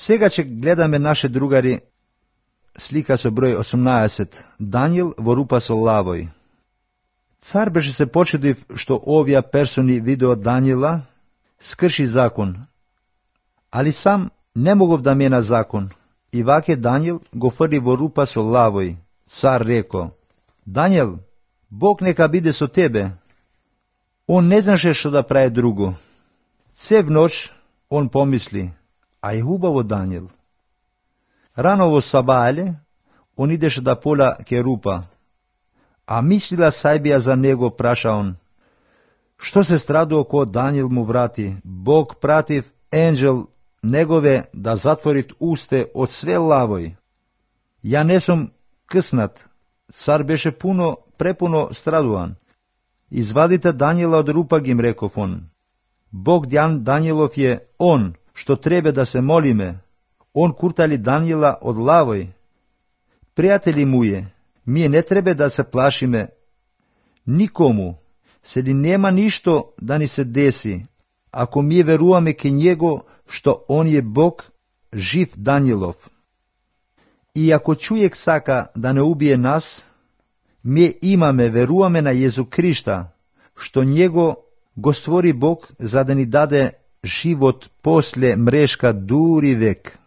Сега ќе гледаме наше другари слика со број 18, Даниел во рупа со лавој. Цар беше се почудив што овие персони видео Даниела скрши закон, али сам не могов да мена закон. И ваќе Даниел го фрли во рупа со лавој. Цар реко: Даниел, Бог нека биде со тебе. Он не знаше што да прави друго. Цев ноќ он помисли: а е хубаво Даниел. Рано во сабајле он идеше да пола ке рупа, а мислила сајбија за него, праша он: што се страдува кога Даниел му врати? Бог пратив енџел негове да затворит усте од све лавој. Ја не сум къснат. Цар беше препуно страдуван. Извадите Даниела од рупа, ги им реков он. Бог Даниелов е он, што треба да се молиме. Он куртали Даниела од лавој. Пријатели мује, ние не треба да се плашиме никому, се ли нема ништо да ни се деси, ако ние веруваме ке него, што он е Бог, жив Даниелов. И ако човек сака да не убие нас, ние веруваме на Језу Христа, што него го створи Бог за да ни даде живот после мрешка дури век.